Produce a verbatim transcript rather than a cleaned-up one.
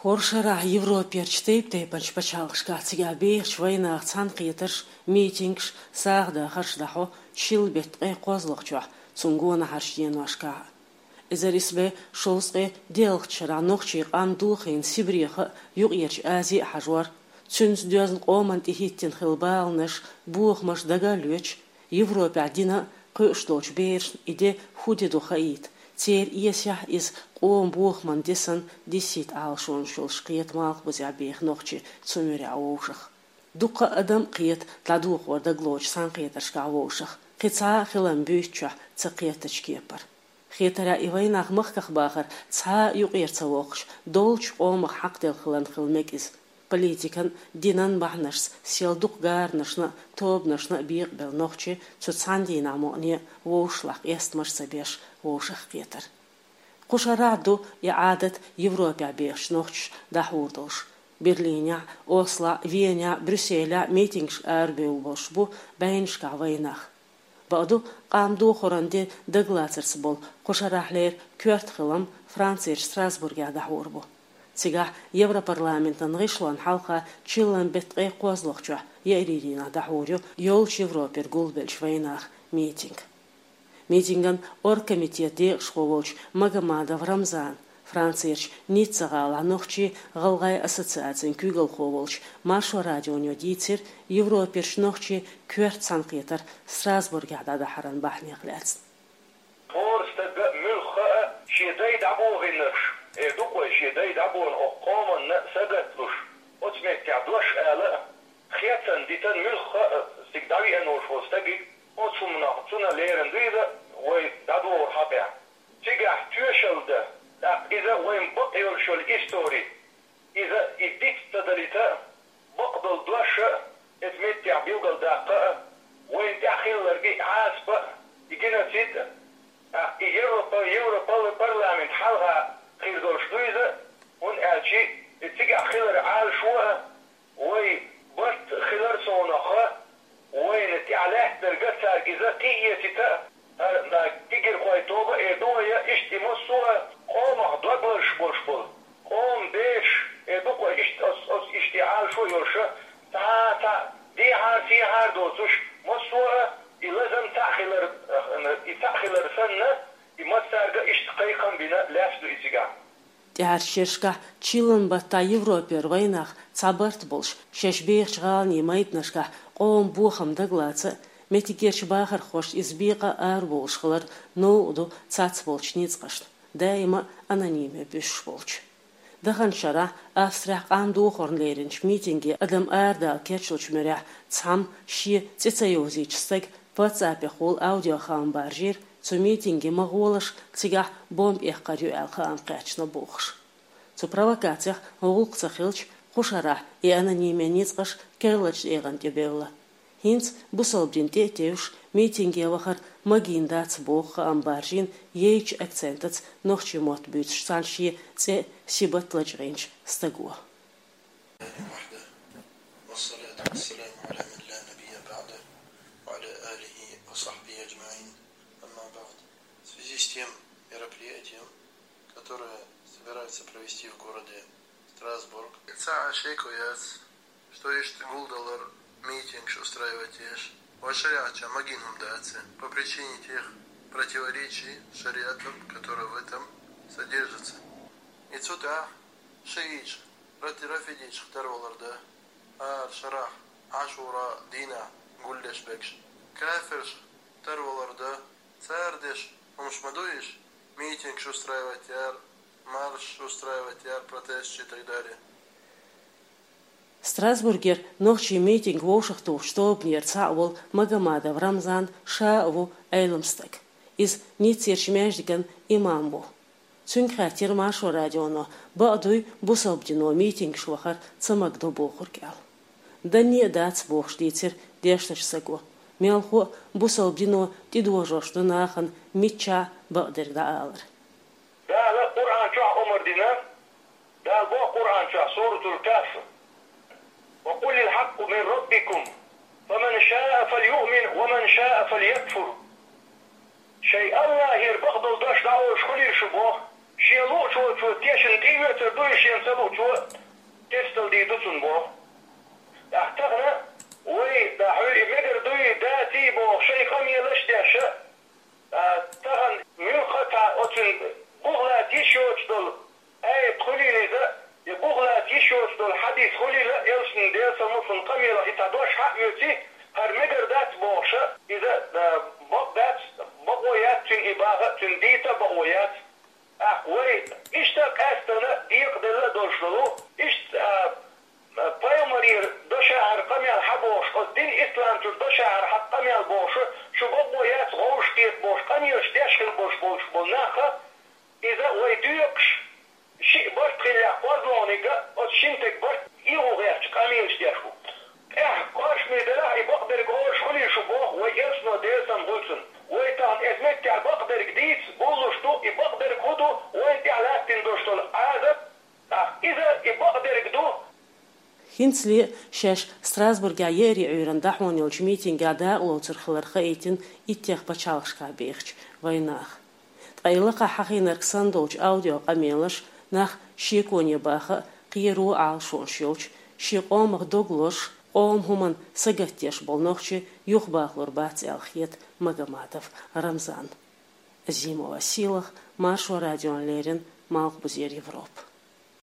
ХӀора шарахь Европерчу тайп-тайпанчу пачхьалкхашкахь цигахь бехачу вайнах цхьаьнакхетарш, митингаш, сагӀа дахарш дӀахьо шилла беттан ткъе кхозлагӀчохь, цунна гонахьарчу деношкахь. Эзар исс бӀе шовзткъе диъалгӀачу шарахь нохчийн къам дохийна Сибреха а, Юккъерчу Азе а хьажор, цуьнца доьзна къоманна тӀехӀиттина хилла баланаш, бохамаш дага а лоьцуш, Европехь дина а, кхуьуш долчу берашна и де хӀун де ду хаийта, церан эсехь иза къоман бохаман де санна диссийта Ӏалашонаш йолуш кхета Малхбузехь беха нохчий цу муьрехь вовшах. Дуккха а адам а кхета дӀадохор дагалоцучу цхьаьнакхетаршкахь вовшах, кхин цхьа а хилам буьйцучохь ца кхеттачу кепара. Хетарехь, и вайнах махках бахар цхьа а юкъера ца воккхуш, долчу къомах хьакхаделла хиларна хила мега иза. Политикан, динан бахьанашца сел дукха гаранашна а, тобанашна а бекъабелла нохчий цу цхьана дийнахь мукъане а вовшашлахь къестамаш ца беш вовшах кхетар. Кху шарахь ду и Ӏадат Европехь бехачу нохчаша дӀахьур долуш. Берлинехь, Ослохь, Венехь, Брюсселехь митингашка арабевлла болуш бу бӀеннашкахь вайнах. Бакъду, къам дохоран де дагалацарца болу кху шарахьлера коьрта хилам Францерчу Страсбургехь дӀахьур бу. Цигахь Европарламентан гӀишлонна хьалха чиллан беттан ткъе кхозлагӀчохь, еарин дийнахь дӀахьур ю йолчу Европера гулбеллачу вайнаха митинг. Митинган оргкомитетан декъашхо волчу Магомадов Рамзана, Францерчу Ницца гӀалахь нохчийн-гӀалгӀайн ассоциацин куьйгалхо волчу Маршо радионо дийцира Европерчу нохчийн коьрта цхьаьнакхетар Страсбургехь дӀадахьаран бахьанех лаьцна. ХӀора стага муьлхха а шен дай дӀабохийнарш, э, дукха вай шен дай дӀабохна окху къоманна а сагатлуш, оцу меттехь дош ала а, хецна дитан муьлхха а цига дӀавеана волуш волу стагиг, оцу хӀуманах цунна лерина дуьйла вай дӀадогӀур хьакъехь. Цигахь тоьшалла дан, тӀаккха иза вайн бакъ йолуш йолу истори, иза и диц ца далийта а, бакъдолу дош а, иза меттехь билгалдаккха а, вайна тӀехь хилларг и Ӏазап а, и геноцид а, тӀаккха и Европа, Европа парламент хьалха хир долуш ду иза, хӀунда аьлча и цигахь хилар Ӏалашо а, вай барт хилар совнаха, вайна тӀехь лаьттинарг а цаьрга иза кхиэцита а, хӀара кегийрхой тоба а эр ду вай, иштта и массо а къомах дог лазаш болуш болу, къоман бераш эр ду-кх вай, иштта оцу, оцу иштта и Ӏалашо а йолуша, цхьа а цхьаъ дехьара-сехьара доцуш, массо а и лазам цхьаъ хилар, и цхьаъ хилар санна, и массаьрга а иштта кхайкхам бина лаьцна ду и цигахь. ТӀаьхьарчу шерашкахь чиллан баттахь Европера вайнах цхьа барт болуш, шаьш бехачу гӀаланийн майданашкахь къоман бохам дагалаца а, меттигерчу бахархошна иза бекъа а арабовлуш хилар новкъа ду цецболчу ницкъашна, даима а анониме буьсуш болчу. Даханчу шарахь Австрехь къам дохорна леринчу митинге адам арадала кечлучу муьрехь цхьамма шен цӀе ца йовзийча стага WhatsApp-ехула аудиохаам баржийра, цу митинге ма гӀолаш, цигахь бомба эккхар ю аьлла хаам кхаьчна бохуш. Цу провокацех гӀуллакх ца хилча, кху шарахь и анониме ницкъаш керлачу тӀегӀан тӀе бевлла. ХӀинца бусалба дин тӀе а тевжаш, митинге вахар магийна дац боху хаам баржийна яйчу акцентаца нохчийн мотт буьйцуш цхьана шен цӀе Сибат лачкъийначу стага. وحده، والصلاة والسلام على من لا نبي بعده، وعلى آله وصحبه أجمعين. أما بعد. В связи с тем мероприятием, которое собираются провести в городе Страсбург, цхьа а шеко яц, что иштта гулдалар, митингаш устраивать еш, вайн шариатчохь магийна хӀума дац, по причине тех противоречий с шариатом, которые в этом содержатся. И цу тӀехь шииташ, рафидиташ тарвалар дан, ара шарахь Ӏашура дийнахь гулдеш берш, кафирш тарвалар дан, цара деш хӀумаш ма ду уьш, митингаш устраивать яр, маршаш устраивать яр, протесташ и так далее. Страсбургера нохчийн митинг вовшахтухучу тобанера цхьаъ волу Магомадов Рамзан ша а ву Ӏелам стаг. Иза Ниццерчу маьждиган имам ву. Цуьнга хаьттира Маршо радионо, бакъ дуй бусалба дино митингаш вахар ца магадо бохург аьлла. Данне а дац бохуш дийцира дешначу стага. Мелхо а бусалба дино тӀедожош ду нахана миччахьа бакъдерг дӀаалар. Дала Къуръан чохь омар дина, Дала боху Къуръан чохь, Суратул Кахф: «وقل الحق من ربكم فمن شاء فليؤمن ومن شاء فليكفر». Шайн Аллахьера бакъдолу дош дӀаолуш хуьлийла шу боху, Шен луучо тешан тӀеоьцур ду, шен ца луучо тестал дийр ду цунна боху. ТӀаккха тахана вай, да, хьуьй и мегар дуй, даций боху шайн къамелаш деш, а, тахана муьлхха а цхьа оцун бухлаца йиш йоцуш долу аят хуьлийла иза, я бухлаца йиш йоцуш долу хьадис хуьлийла, элчанан, Делан салам хуьлда цунна, къамелах и цхьа дош хьаоьций, хӀара мегар дац бохуша, иза, а, бакъ дац, бакъо яц цуьнан и баха, цуьнан дийца а бакъо яц. ТӀаккха вай иштта къаьстина декъаделла а долуш долу, иштта, а, пайхамарера дашахьара къамел хьан бохуш, оцу дин ислам чуьра дашахьара хьан къамел бохуш, шу бакъо яц, гӀовш кхета бохуш, къамелаш деш хила болуш болуш болу нахха, иза вай доькъуш, шиъ барт хиллехь кхозлагӀниг а, оцу шина стеган барт ийгӀо гӀерташ къамелаш деш ву. ТӀаьхьа кхошаме делахь, и бакъдерг гӀоьрташ хуьлий шу боху вай элчано, Делан салам хуьлда цунна. Вай тахана эза меттехь бакъдерг дийца бовлуш ду, и бакъдерг хӀун ду, вайна тӀехь лаьттина долуш долу Ӏазап, тӀаккха иза и бакъдерг ду. ХӀинцале а шаьш Страсбургехь еарин Ӏуьйранна дӀахьона йолчу митингехь дакъалоцур хилар хаийтина иттех пачхьалкхашкахь бехачу вайнаха. Ткъа и лакхахь хьахийнарг санна долчу аудиокъамелаш нах шеконе баха а, кхеро а Ӏалашонаш йолчу, шен къомах дог лозуш, къоман хӀуманна сагатдеш болу нохчий юхабахалур бац аьлла хета Магомадов Рамзанна. Азимова Сийлаха, Маршо радиона леррина, Малхбузера Европа.